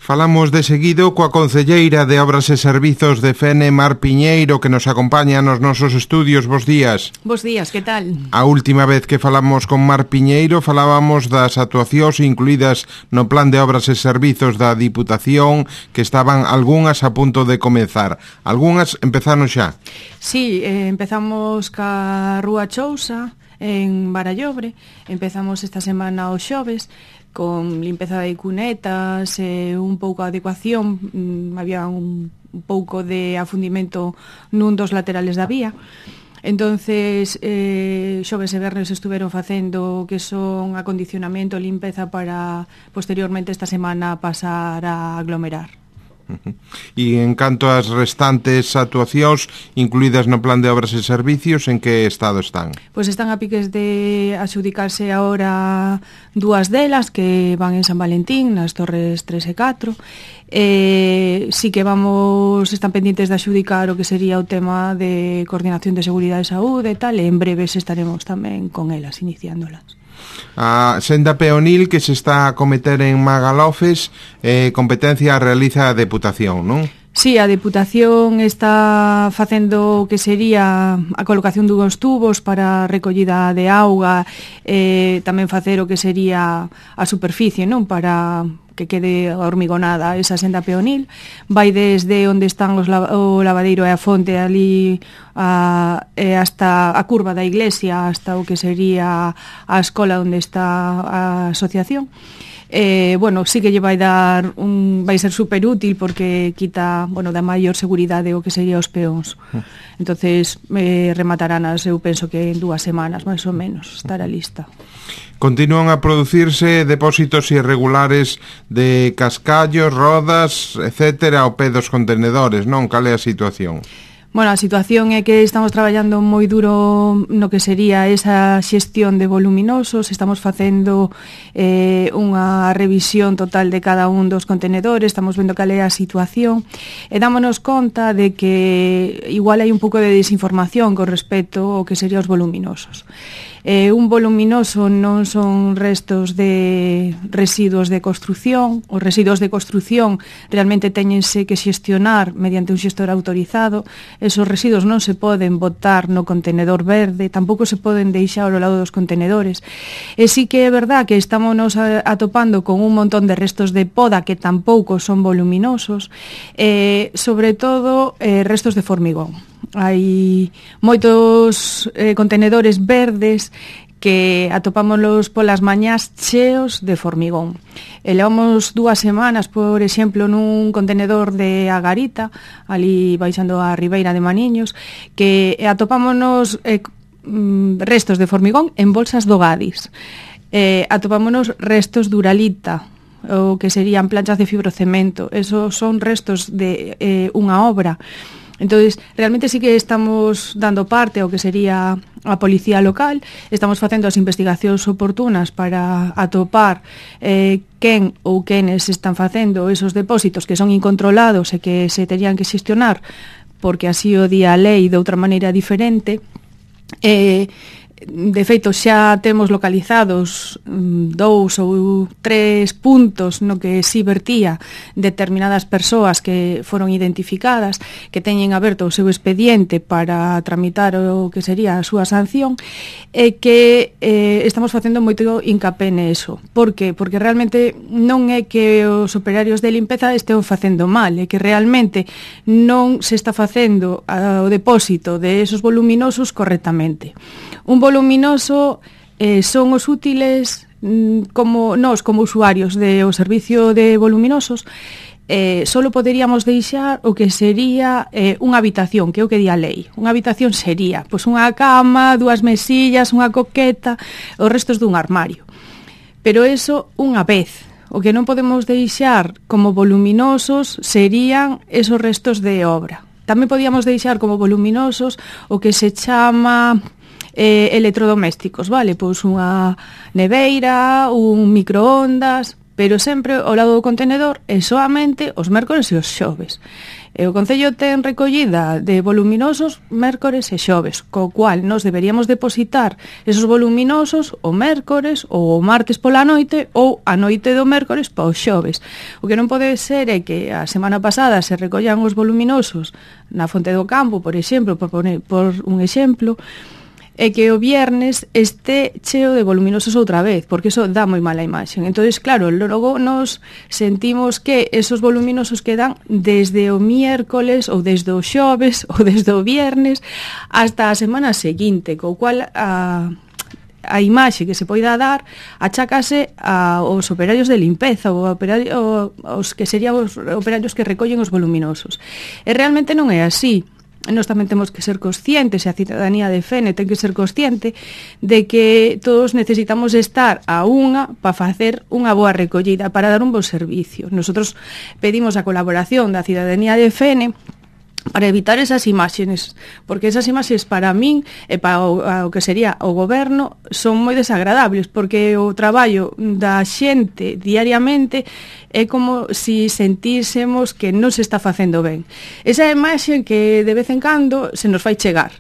Falamos de seguido coa concelleira de Obras e Servizos de Fene, Mar Piñeiro, que nos acompaña nos nosos estudios. Bos días. Bos días, que tal? A última vez que falamos con Mar Piñeiro falábamos das actuacións incluídas no Plan de Obras e Servizos da Diputación, que estaban algunhas a punto de comezar. Algunhas empezaron xa. Sí, empezamos ca Rúa Chousa, en Barallobre. Empezamos esta semana os xoves con limpeza de cunetas e un pouco de adecuación. Había un pouco de afundimento nun dos laterales da vía. Entonces, xoves e vernes estuveron facendo que son acondicionamento, limpeza para posteriormente esta semana pasar a aglomerar. E en canto ás restantes actuacións incluídas no Plan de Obras e Servicios, en que estado están? Pois están a piques de adxudicarse agora dúas delas que van en San Valentín, nas torres 3 e 4. Sí que están pendientes de adxudicar o que sería o tema de coordinación de seguridade e saúde e tal, e en breves estaremos tamén con elas, iniciándolas. A senda peonil que se está a cometer en Magalofes, competencia realiza a Deputación, non? Sí, a Deputación está facendo o que sería a colocación dunhos tubos para a recollida de auga, tamén facer o que sería a superficie, non? Para que quede hormigonada esa senda peonil. Vai desde onde están o lavadeiro e a fonte ali hasta a curva da iglesia, hasta o que sería a escola onde está a asociación. Sí que lle vai ser super útil porque quita, da maior seguridade o que sería os peóns. Entonces remataránas, eu penso que en 2 semanas máis ou menos estará lista. Continúan a producirse depósitos irregulares de cascallos, rodas, etcétera, ao pé dos contenedores, non? Cal é a situación? Bueno, a situación é que estamos traballando moi duro no que sería esa xestión de voluminosos. Estamos facendo unha revisión total de cada un dos contenedores, estamos vendo cal é a situación e dámonos conta de que igual hai un pouco de desinformación con respecto ao que serían os voluminosos. Un voluminoso non son restos de residuos de construción. Os residuos de construción realmente teñense que xestionar mediante un xestor autorizado. Esos residuos non se poden botar no contenedor verde, tampouco se poden deixar ao lado dos contenedores. E sí que é verdad que estamos atopando con un montón de restos de poda que tampouco son voluminosos, sobre todo restos de formigón. Hai moitos contenedores verdes que atopámoslos polas mañás cheos de formigón. Levamos 2 semanas, por exemplo, nun contenedor de Agarita, ali baixando a Ribeira de Maniños, que atopámonos restos de formigón en bolsas do Gadis. Atopámonos restos de Uralita, o que serían planchas de fibrocemento. Esos son restos de unha obra. Entonces, realmente sí que estamos dando parte ao que sería a policía local, estamos facendo as investigacións oportunas para atopar quen ou quenes están facendo esos depósitos que son incontrolados e que se terían que xestionar porque así o di a lei de outra maneira diferente. De feito, xa temos localizados 2 ou 3 puntos no que si vertía determinadas persoas que foron identificadas, que teñen aberto o seu expediente para tramitar o que sería a súa sanción, e que estamos facendo moito hincapé neso. Por que? Porque realmente non é que os operarios de limpeza estén facendo mal, é que realmente non se está facendo o depósito de esos voluminosos correctamente. Un voluminoso son os útiles como nós, como usuarios do servicio de voluminosos, solo poderíamos deixar o que sería unha habitación, que é o que di a lei. Unha habitación sería pois unha cama, 2 mesillas, unha coqueta, os restos dun armario. Pero eso unha vez. O que non podemos deixar como voluminosos serían esos restos de obra. Tamén podíamos deixar como voluminosos o que se chama electrodomésticos, vale? Pois unha neveira, un microondas, pero sempre ao lado do contenedor e soamente os mércores e os xoves. E o Concello ten recollida de voluminosos mércores e xoves, co cual nos deberíamos depositar esos voluminosos o mércores ou o martes pola noite ou a noite do mércores pa os xoves. O que non pode ser é que a semana pasada se recollan os voluminosos na Fonte do Campo, por exemplo, por un exemplo, e que o viernes este cheo de voluminosos outra vez, porque iso dá moi mala imaxe. Entonces, claro, logo nos sentimos que esos voluminosos quedan desde o miércoles ou desde o xoves ou desde o viernes hasta a semana seguinte, co cual a imaxe que se poida dar achácase aos operarios de limpeza ou aos que serían os operarios que recollen os voluminosos. E realmente non é así. Nós tamén temos que ser conscientes, e a cidadanía de Fene ten que ser consciente de que todos necesitamos estar a unha para facer unha boa recollida, para dar un bo servicio. Nosotros pedimos a colaboración da cidadanía de Fene para evitar esas imaxes, porque esas imaxes para min e para o que sería o goberno son moi desagradables, porque o traballo da xente diariamente é como si sentísemos que non se está facendo ben. Esa imaxe que de vez en cando se nos fai chegar,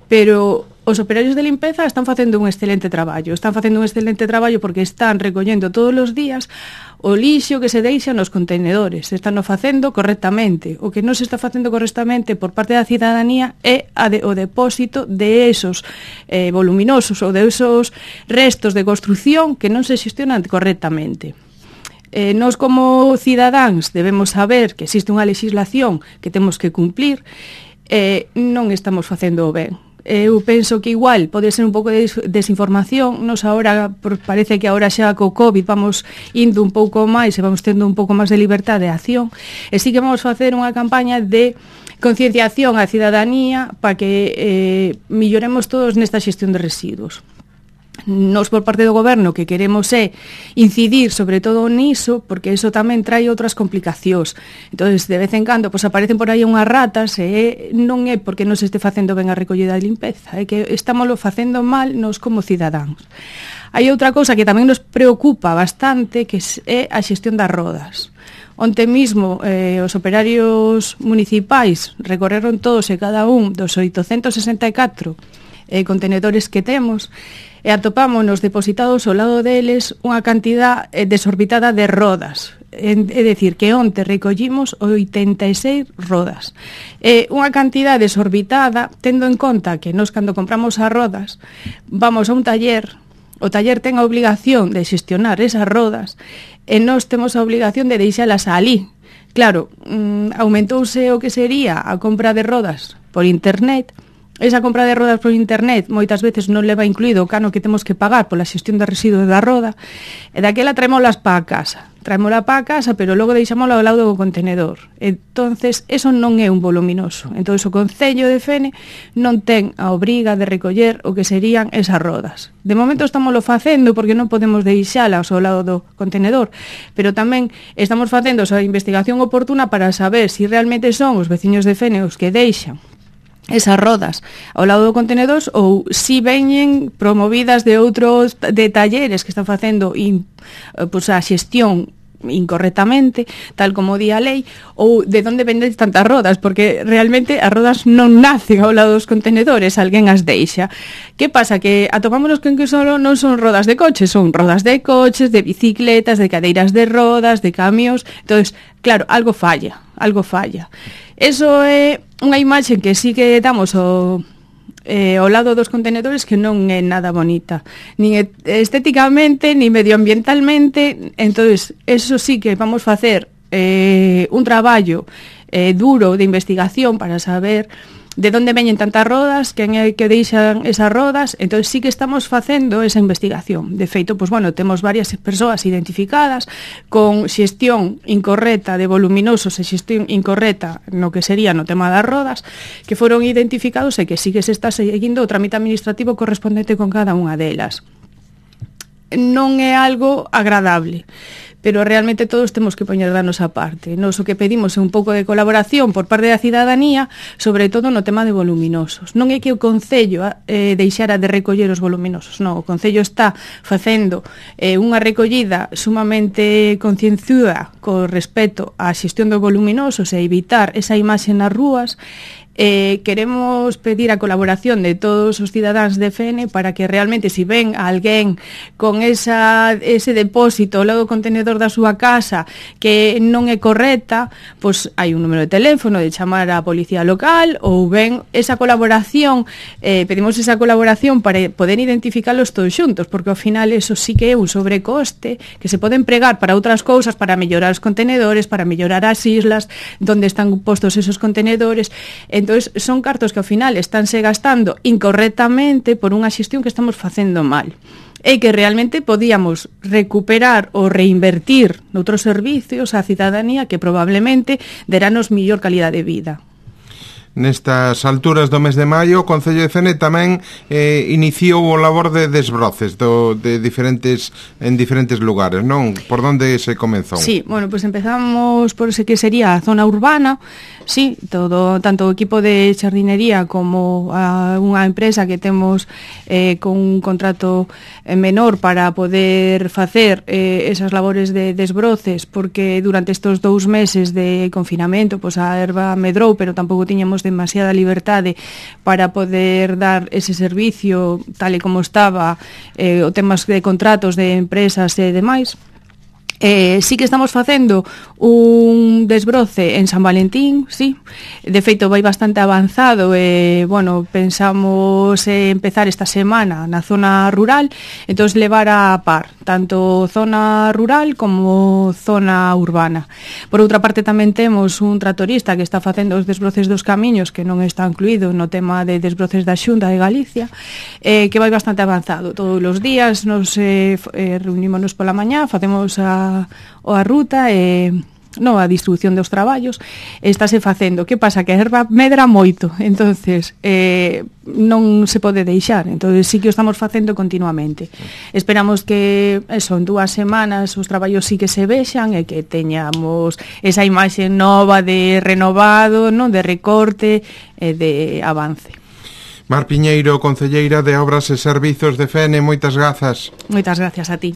pero os operarios de limpeza están facendo un excelente traballo. Están facendo un excelente traballo porque están recollendo todos os días o lixo que se deixa nos contenedores. Están o facendo correctamente. O que non se está facendo correctamente por parte da cidadanía é o depósito de esos voluminosos ou de esos restos de construción que non se xestionan correctamente. Nós como cidadáns debemos saber que existe unha legislación que temos que cumplir e non estamos facendo ben. Eu penso que igual pode ser un pouco de desinformación. Nos agora, parece que agora xa co COVID vamos indo un pouco máis e vamos tendo un pouco máis de libertade de acción, e sí que vamos facer unha campaña de concienciación á cidadanía para que milloremos todos nesta xestión de residuos. Nos por parte do goberno que queremos é incidir sobre todo niso, porque iso tamén trae outras complicacións. Entonces, de vez en cando, pues, aparecen por aí unhas ratas e non é porque non se este facendo ben a recollida de limpeza, é que estámoslo facendo mal nos como cidadáns. Hai outra cousa que tamén nos preocupa bastante, que é a xestión das rodas. Onte mismo os operarios municipais recorreron todos e cada un dos 864 contenedores que temos e atopámonos depositados ao lado deles unha cantidad desorbitada de rodas. É dicir, que onte recollimos 86 rodas. Unha cantidad desorbitada, tendo en conta que nós cando compramos as rodas vamos a un taller, o taller ten a obligación de xestionar esas rodas e nós temos a obligación de deixalas alí. Claro, aumentouse o que sería a compra de rodas por internet. Esa compra de rodas por internet moitas veces non leva incluído o cano que temos que pagar pola xestión de residuos da roda, e daquela traémolas para a casa. Traémola para a casa, pero logo deixámola ao lado do contenedor. Entonces, eso non é un voluminoso. Entonces, o Concello de Fene non ten a obriga de recoller o que serían esas rodas. De momento estámoslo facendo porque non podemos deixalas ao lado do contenedor, pero tamén estamos facendo a investigación oportuna para saber se realmente son os veciños de Fene os que deixan esas rodas ao lado do contenedor ou si veñen promovidas de outros de talleres que están facendo a xestión incorrectamente, tal como di a lei, ou de onde venden tantas rodas, porque realmente as rodas non nacen ao lado dos contenedores, alguén as deixa. Que pasa? Que atopámonos con que solo non son rodas de coches, son rodas de coches, de bicicletas, de cadeiras de rodas, de camións. Entonces, claro, algo falla. Eso é unha imaxe que sí que damos ao lado dos contenedores que non é nada bonita, nin estéticamente, nin medioambientalmente. Entonces, eso sí que vamos facer un traballo duro de investigación para saber de onde veñen tantas rodas, quen é que deixan esas rodas. Entón sí que estamos facendo esa investigación. De feito, pues, bueno, temos varias persoas identificadas con xestión incorrecta de voluminosos e xestión incorrecta no que sería no tema das rodas, que foron identificados e que sí que se está seguindo o trámite administrativo correspondente con cada unha delas. Non é algo agradable, pero realmente todos temos que poñer da nosa parte. Nos o que pedimos é un pouco de colaboración por parte da cidadanía, sobre todo no tema de voluminosos. Non é que o Concello deixara de recoller os voluminosos, non, o Concello está facendo unha recollida sumamente concienzuda co respecto á xestión dos voluminosos e evitar esa imaxe nas rúas. Queremos pedir a colaboración de todos os cidadáns de Fene para que realmente, se ven a alguén con ese depósito ao lado do contenedor da súa casa que non é correcta, pois hai un número de teléfono de chamar á policía local, ou ben esa colaboración, pedimos esa colaboración para poder identificalos todos xuntos, porque ao final eso sí que é un sobrecoste que se pode empregar para outras cousas, para mellorar os contenedores, para mellorar as islas donde están postos esos contenedores. Entón, son cartos que ao final estánse gastando incorrectamente por unha xestión que estamos facendo mal e que realmente podíamos recuperar ou reinvertir noutros servicios á cidadanía que probablemente deranos mellor calidade de vida. Nestas alturas do mes de maio, o Concello de Fene tamén iniciou o labor de desbroces en diferentes lugares, non? Por onde se comezou? Sí, bueno, pues empezamos por ese que sería a zona urbana, sí, tanto o equipo de xardinería como unha empresa que temos con un contrato menor para poder facer esas labores de desbroces, porque durante estes 2 meses de confinamento, pues a erva medrou, pero tampouco tiñamos demasiada liberdade para poder dar ese servicio tal e como estaba o temas de contratos de empresas e demais. Sí que estamos facendo un desbroce en San Valentín, sí. De feito, vai bastante avanzado e, bueno, pensamos empezar esta semana na zona rural, entón levar a par, tanto zona rural como zona urbana. Por outra parte, tamén temos un tractorista que está facendo os desbroces dos camiños, que non está incluído no tema de desbroces da Xunta de Galicia, que vai bastante avanzado. Todos os días nos reunimos pola mañá, facemos a ruta e a distribución dos traballos estáse facendo. Que pasa? Que a erva medra moito, entonces non se pode deixar, entonces sí que o estamos facendo continuamente. Esperamos que en 2 semanas os traballos sí que se vexan e que teñamos esa imaxe nova de renovado, non, de recorte e de avance. Mar Piñeiro, concelleira de Obras e Servizos de Fene, moitas grazas. Moitas gracias a ti.